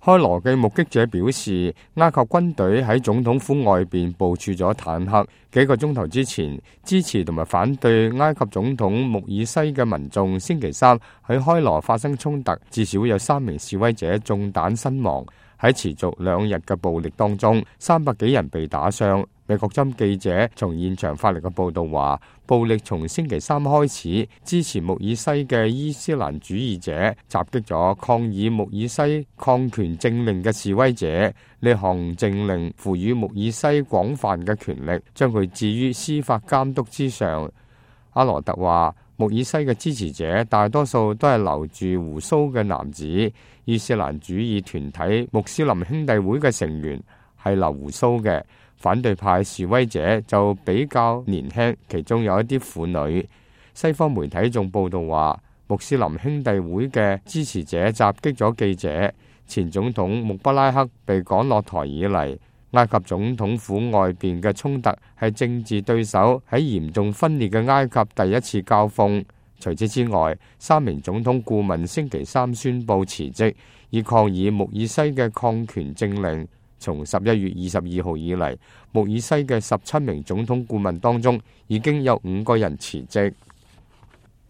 開羅嘅目擊者表示，埃及軍隊喺總統府外邊部署咗坦克。幾個鐘頭之前，支持同埋反對埃及總統穆爾西嘅民眾星期三喺開羅發生衝突，至少有3名示威者中彈身亡。喺持續2日嘅暴力當中，300幾人被打傷。美國針記者從現場發嚟嘅報道話，暴力從星期三開始，支持穆爾西嘅伊斯蘭主義者襲擊咗抗議穆爾西抗權政令嘅示威者。呢項政令賦予穆爾西廣泛嘅權力，將佢置於司法監督之上。阿羅特話，穆爾西嘅支持者大多數都係留住鬍鬚嘅男子，伊斯蘭主義團體穆斯林兄弟會嘅成員係留鬍鬚嘅。反對派示威者就比較年輕，其中有一啲婦女。西方媒體仲報道話，穆斯林兄弟會嘅支持者襲擊咗記者。前總統穆巴拉克被趕落台以嚟，埃及總統府外邊嘅衝突係政治對手喺嚴重分裂嘅埃及第一次交鋒。除此之外，3名總統顧問星期三宣布辭職，以抗議穆爾西嘅抗權政令。從11月22號以嚟，穆爾西嘅17名總統顧問當中，已經有5個人辭職。